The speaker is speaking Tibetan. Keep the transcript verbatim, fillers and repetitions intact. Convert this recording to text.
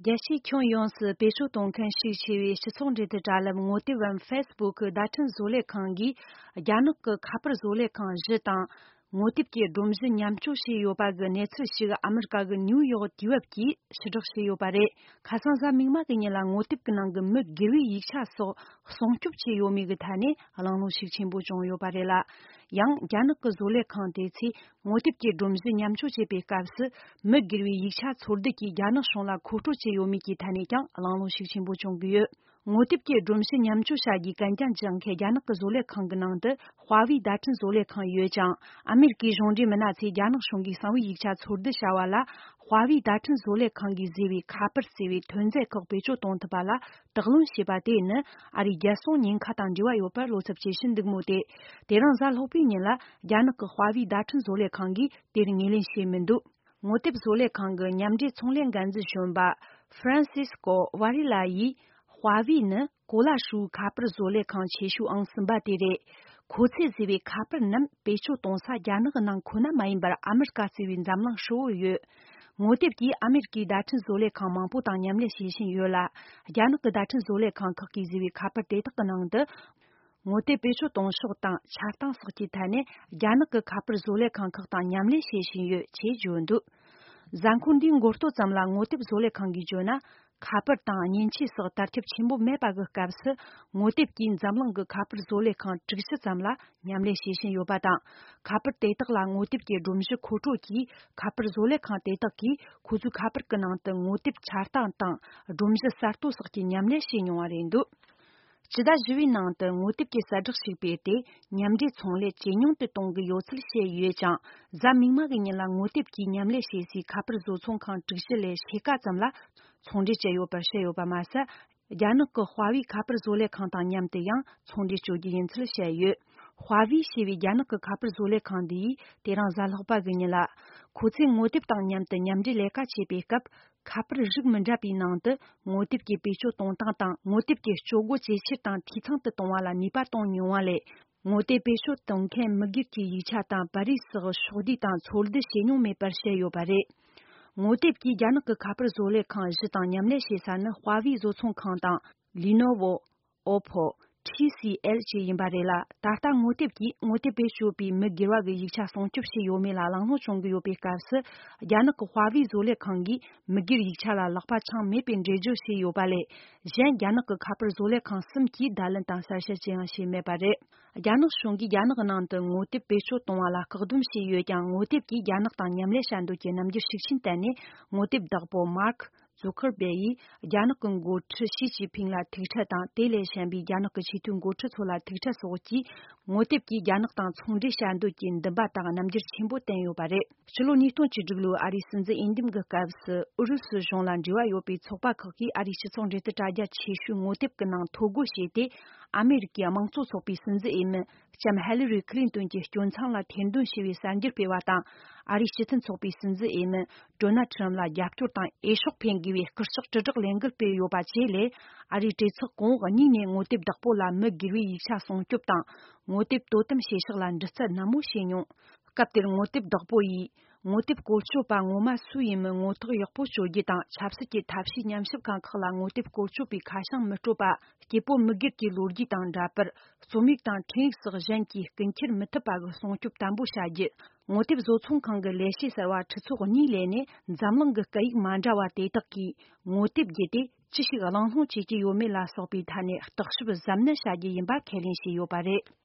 རྒྱལ་སྤྱིའི་ཁྱོན་ཡོངས་སུ་བེད་སྤྱོད་གཏོང་མཁན་ཤུགས་ཆེ་བའི་སྤྱི་ཚོགས་འབྲེལ་མཐུད་དྲ་ལམ་ངོ་དེབ་བམ་ཕེ་སི་བུག་གི་བརྡ་འཕྲིན་བཟོ་ལས་ཁང་གིས། རྒྱ་ནག་གི་ཁ་པར་བཟོ་ལས་ཁང་བཞི་དང་། ངོ་དེབ་ཀྱི་སྒྲོམ་གཞི་མཉམ་སྤྱོད་བྱས་ཡོད་པ་གི་གནས་ཚུལ་ཞིག་ཨ་མི་རི་ཀ་གི་ནིའུ་ཡོག་དུས་བབ་ཀྱིས་ཕྱིར་བསྒྲགས་བྱས་ཡོད་པ་རེད། ཁ་སང་གཟའ་མིག་དམར་གྱི་ཉིན་ལ་ངོ་དེབ་ཀྱི་ནང་གི་མི་སྒེར་བའི་ཡིག་ཆ་སོགས་སྲུང་སྐྱོབ་བྱས་ཡོད་མེད་ཀྱི་ཐད་ནས་གླེང་སློང་ཤུགས་ཆེན་པོ་བྱུང་ཡོད་པ་རེད་ལ། ཡང་རྒྱ་ནག་གི་བཟོ་ལས་ཁང་དེ་ཚོས་ངོ་དེབ་ཀྱི་སྒྲོམ་གཞི་མཉམ་སྤྱོད་བྱེད་པའི་སྐབས་སུ། མི་སྒེར་བའི་ཡིག་ཆ་འཚོལ་བསྡུ་གིས་རྒྱ་ནག་གཞུང་ལ་མཁོ་སྤྲོད་བྱས་ཡོད་མེད་ཀྱི་ཐད་ནས་ཀྱང་གླེང་སློང་ཤུགས་ཆེན་པོ་བྱུང་གི་ཡོད། ངོ་དེབ་ཀྱི་སྒྲོམ་གཞི་མཉམ་སྤྱོད་བྱ་རྒྱུའི་གན་རྒྱ་འཇོག་མཁན་རྒྱ་ནག་གི་བཟོ་ལས་ཁང་གི་ནང་དུ་ཧྭ་ཝེ་བརྡ་འཕྲིན་བཟོ་ལས་ཁང་ཡོད་ཅིང་། ཨ་མེ་རི་ཀའི་གཞུང་འབྲེལ་མི་སྣ་ཚོས་རྒྱ་ནག་གཞུང་གིས་གསང་བའི་ཡིག་ཆ་འཚོལ་བསྡུ་བྱ་བ་ལ། ཧྭ་ཝེ་བརྡ་འཕྲིན་བཟོ་ལས་ཁང་གིས་བཟོས་པའི་ཁ་པར་ཟེར་བའི་ཐོན་རྫས་ཁག་བེད་སྤྱོད་གཏོང་ཐུབ་པ་ལ་དྲག་གནོན་བྱས་པ་དེ་ནི་ཨ་རིའི་རྒྱལ་སྲུང་ཉེན་ཁ་དང་འབྲེལ་བ་ཡོད་པར་བློ་འཚབ་ཆེ་ཞུ་འདུག་མོད་དེ། དེ་རིང་གཟའ་ལྷག་པའི་ཉིན་ལ་རྒྱ་ནག་གི་ཧྭ་ཝེ་བརྡ་འཕྲིན་བཟོ་ལས་ཁང་གིས་དེར་ངོས་ལེན་བྱས་མི་འདུག་ངོ་དེབ་བཟོ་ལས་ཁང་གི་མཉམ་འབྲེལ་ཚོང་ལས་འགན་འཛིན་གཞོན་པ་ཧྥ་རན་སིས་ཀོ་ཝ་རི་ལ་ཡིས། ཧྭ་ཝེ་ནི་གོ་ལ་ཧྲིལ་བོའི་ཁ་པར་བཟོ་ལས་ཁང་ཆེ་ཤོས་ཨང་གསུམ་པ་དེ་རེད། ཁོ་ཚོས་བཟོས་པའི་ཁ་པར་རྣམས་བེད་སྤྱོད་གཏོང་ས་རྒྱ་ནག་གི་ནང་ཁོ་ན་མ་ཡིན་པར་ཨ་མི་རི་ཀ་གཙོས་པའི་འཛམ་གླིང་ཧྲིལ་བོར་ཡོད། ངོ་དེབ་ཀྱིས་ཨ་མེ་རི་ཀའི་བརྡ་འཕྲིན་བཟོ་ལས་ཁང་མང་པོ་དང་མཉམ་ལས་བྱེད་བཞིན་ཡོད་ལ། རྒྱ་ནག་གི་བརྡ་འཕྲིན་བཟོ་ལས་ཁང་ཁག་གིས་བཟོས་པའི་ཁ་པར་དེ་དག་གི་ནང་དུ། ངོ་དེབ་བེད་སྤྱོད་གཏོང་ཕྱོགས་དང་འཆར་སྟངས་སོགས་ཀྱི་ཐད་ནས་རྒྱ་ནག་གི་ཁ་པར་བཟོ་ལས་ཁང་ཁག་དང་མཉམ་ལས་བྱེད་བཞིན་ཡོད་ཅེས་བརྗོད་འདུག་གཟའ་འཁོར་འདིའི་འགོ་སྟོད་ཙམ་ལ་ངོ་དེབ་བཟོ་ལས་ཁང་གིས་བརྗོད་ན། ཁ་པར་དང་མཉེན་ཆས་སོགས་དར་ཁྱབ་ཆེན་པོ་མེད་པ་གི་སྐབས་སུ། ངོ་དེབ་ཀྱིས་འཛམ་གླིང་གི་ཁ་པར་བཟོ་ལས་ཁང་དྲུག་ཅུ་ཙམ་ལ་མཉམ་ལས་བྱེད་བཞིན་ཡོད་པ་དང་། ཁ་པར་དེ་དག་ལ་ངོ་དེབ་ཀྱི་སྒྲོམ་གཞི་མཁོ་སྤྲོད་ཀྱིས། ཁ་པར་བཟོ་ལས་ཁང་དེ་དག་གིས་ཁོ་ཚོའི་ཁ་པར་གྱི་ནང་དུ་ངོ་དེབ་འཆར་སྟངས་དང་། སྒྲོམ་གཞི་གསར་གཏོད་སོགས་ཀྱི་མཉམ་ལས་བྱས་མྱོང་བ་རེད་འདུག་སྤྱི་ཟླ་བཞི་པའི་ནང་དུ་ངོ་དེབ་ཀྱི་གསལ་བསྒྲགས་ཤིག་སྤེལ་ཏེ། མཉམ་འབྲེལ་ཚོང་ལས་ཇེ་ཉུང་དུ་གཏོང་གི་ཡོད་ཚུལ་བཤད་ཡོད་ཅིང་། གཟའ་མིག་དམར་གྱི་ཉིན་ལ་ངོ་དེབ་ཀྱིས་མཉམ་ལས་བྱེད་སའི་ཁ་པར་བཟོ་ཚོང་ཁང་དྲུག་ཅུ་ལས་ཕྱེད་ཀ་ཙམ་ལ་ཚོང་འབྲེལ་བྱས་ཡོད་པར་བཤད་ཡོད་པ་མ་ཟད། རྒྱ་ནག་གི་ཧྭ་ཝེ་ཁ་པར་བཟོ་ལས་ཁང་དང་མཉམ་དུ་ཡང་ཚོང་འབྲེལ་གཅོད་རྒྱུ་ཡིན་ཚུལ་བཤད་ཡོད། ཧྭ་ཝེ་ཞེས་པའི་རྒྱ་ནག་གི་ཁ་པར་བཟོ་ལས་ཁང་འདིས་དེ་རིང་གཟའ་ལྷག་པ་གི་ཉིན་ལ། ཁོ་ཚོས་ངོ་དེབ་དང་མཉམ་དུ་མཉམ་འབྲེལ་ལས་ཀ་བྱེད་པའི་སྐབས། ཁ་པར་རིགས་མི་འདྲ་བའི་ནང་དུ་ངོ་དེབ་ཀྱི་བེད་སྤྱོད་གཏོང་སྟངས་དང་། ངོ་དེབ་ཀྱི་སྤྱོད་སྒོ་ཇེ་ཆེར་དང་འཐུས་ཚང་དུ་གཏོང་བ་ལ་ནུས་པ་གཏོང་མྱོང་བ་ལས། ངོ་དེབ་བེད་སྤྱོད་གཏོང་མཁན་མི་སྒེར་གྱི་ཡིག་ཆ་དང་པར་རིས་སོགས་ཕྱོགས་བསྡུས་དང་འཚོལ་བསྡུ་བྱེད་མྱོང་མེད་པར་བཤད་ཡོད་པ་རེད། ངོ་དེབ་ཀྱིས་རྒྱ་ནག་གི་ཁ་པར་བཟོ་ལས་ཁང་བཞི་དང་མཉམ་ལས་བྱེད་ས་ནི་ཧྭ་ཝེ་བཟོ་ཚོང་ཁང་དང་། ལི་ནོ་ཝོ། ཨོ་ཕོ། ཊི་སི་ཨེལ་བཅས་ཡིན་པ་རེད་ལ། ད་ལྟ་ངོ་དེབ་ཀྱིས་ངོ་དེབ་བེད་སྤྱོད་པའི་མི་སྒེར་བ་གི་ཡིག་ཆ་སྲུང་སྐྱོབ་བྱས་ཡོད་མེད་ལ་གླེང་སློང་བྱུང་གི་ཡོད་པའི་སྐབས་སུ། རྒྱ་ནག་གི་ཧྭ་ཝེ་བཟོ་ལས་ཁང་གིས་མི་སྒེར་ཡིག་ཆ་ལ་ལག་པ་འཆང་མེད་པའི་འགྲེལ་བརྗོད་བྱས་ཡོད་པ་ལས། གཞན་རྒྱ་ནག་གི་ཁ་པར་བཟོ་ལས་ཁང་གསུམ་གྱིས་བརྡ་ལན་དང་གསལ་བཤད་ཅི་ཡང་བྱས་མེད་པ་རེད། རྒྱ་ནག་གཞུང་གིས་རྒྱ་ནག་ནང་དུ་ངོ་དེབ་བེད་སྤྱོད་གཏོང་བ་ལ་བཀག་སྡོམ་བྱས་ཡོད་ཀྱང་། ངོ་དེབ་ཀྱིས་རྒྱ་ནག་དང་མཉམ་ལས་བྱ་འདོད་ཀྱི་རྣམ་འགྱུར་ཤུགས་ཆེན་བསྟན་ནས། ངོ་དེབ་བདག་པོ་མཱརྐ་ཛུ་ཁར་བེ་ཡིས་རྒྱ་ནག་གི་འགོ་ཁྲིད་ཞི་ཅིན་ཕིང་ལ་ཐུག་འཕྲད་དང་། དེ་ལས་གཞན་པའི་རྒྱ་ནག་གི་ཆེས་མཐོའི་འགོ་ཁྲིད་ཚོ་ལ་ཐུག་འཕྲད་སོགས་ཀྱིས། ངོ་དེབ་ཀྱིས་རྒྱ་ནག་དང་ཚོང་འབྲེལ་བྱ་འདོད་ཀྱི་འདུན་པ་དང་རྣམ་འགྱུར་ཆེན་པོ་བསྟན་ཡོད་པ་རེད། ཕྱི་ལོ་ཉིས་སྟོང་བཅུ་དྲུག་ལོའི་ཨ་རིའི་སྲིད་འཛིན་འོས་འདེམས་ཀྱི་སྐབས་སུ། ཨུ་རུ་སུ་གཞུང་ལ་འབྲེལ་བ་ཡོད་པའི་ཚོགས་པ་ཁག་གིས་ཨ་རིའི་སྤྱི་ཚོགས་འབྲེལ་མཐུད་དྲ་རྒྱ་ཆེ་ཤོས་ངོ་དེབ་ཀྱི་ནང་ཐོ་འགོད་བྱས་ཏེ། ཨ་མེ་རི་ཀའི་དམངས་གཙོ་ཚོགས་པའི་སྲིད་འཛིན་འོས་མི། ལྕམ་ཧེ་ལི་རི་ཁི་ལིན་ཏོན་གྱི་སྐྱོན་མཚང་ལ་ཐེར་འདོན་བྱས་པའི་གསར་འགྱུར་སྤེལ་བ་དང་། ཨ་རིའི་སྤྱི་མཐུན་ཚོགས་པའི་སྲིད་འཛིན་འོས་མི་ཌོ་ནལ་ཁྲམ་ལ་རྒྱབ་སྐྱོར་དང་འོས་ཤོག་འཕེན་དགོས་པའི་སྐུལ་ལྕག་དྲིལ་བསྒྲགས་ལས་འགུལ་སྤེལ་ཡོད་པ་བཅས་ལས། ཨ་རིའི་གྲོས་ཚོགས་གོང་འོག་གཉིས་ནས་ངོ་དེབ་བདག་པོ་ལ་མི་སྒེར་བའི་ཡིག་ཆ་སྲུང་སྐྱོབ་དང་། ངོ་དེབ་དོ་དམ་བྱེད་ཕྱོགས་ལ་འདྲི་རྩད་ནན་མོ་བྱས་མྱོང་། སྐབས་དེར་ངོ་དེབ་བདག་པོ་ཡིས། ངོ་དེབ་བཀོལ་སྤྱོད་པ་ངོ་མ་སུ་ཡིན་མིན་ངོ་ཐག་ཡག་པོ་གཅོད་རྒྱུ་དང་། ཆབ་སྲིད་ཀྱི་ཐབས་ཤེས་ཉམས་ཞིབ་ཁང་ཁག་ལ་ངོ་དེབ་བཀོལ་སྤྱོད་པའི་ཁ་བྱང་མི་སྤྲོད་པ། སྐྱེ་བོ་མི་སྒེར་གྱི་ལོ་རྒྱུས་དང་འདྲ་པར། རྩོམ་ཡིག་དང་འཕྲིན་ཡིག་སོགས་གཞན་གྱིས་རྐུ་འཁྱེར་མི་ཐུབ་པ་གི་སྲུང་སྐྱོབ་དམ་པོ་བྱ་རྒྱུ། ངོ་དེབ་བཟོ་ཚོང་ཁང་གི་ལས་བྱེད་གསར་བ་ཁྲི་ཚོ་གཉིས་ལས་ནས། འཛམ་གླིང་གི་སྐད་ཡིག་མ་འདྲ་བ་དེ་དག་གིས་ངོ་དེབ་བརྒྱུད་དེ་ཅི་ཞིག་གླེང་སློང་བྱེད་ཀྱི་ཡོད་མེད་ལ་སོགས་པའི་ཐད་ནས་བརྟག་ཞིབ་གཟབ་ནན་བྱ་རྒྱུ་ཡིན་པ་ཁས་ལེན་བྱས་ཡོད་པ་རེད།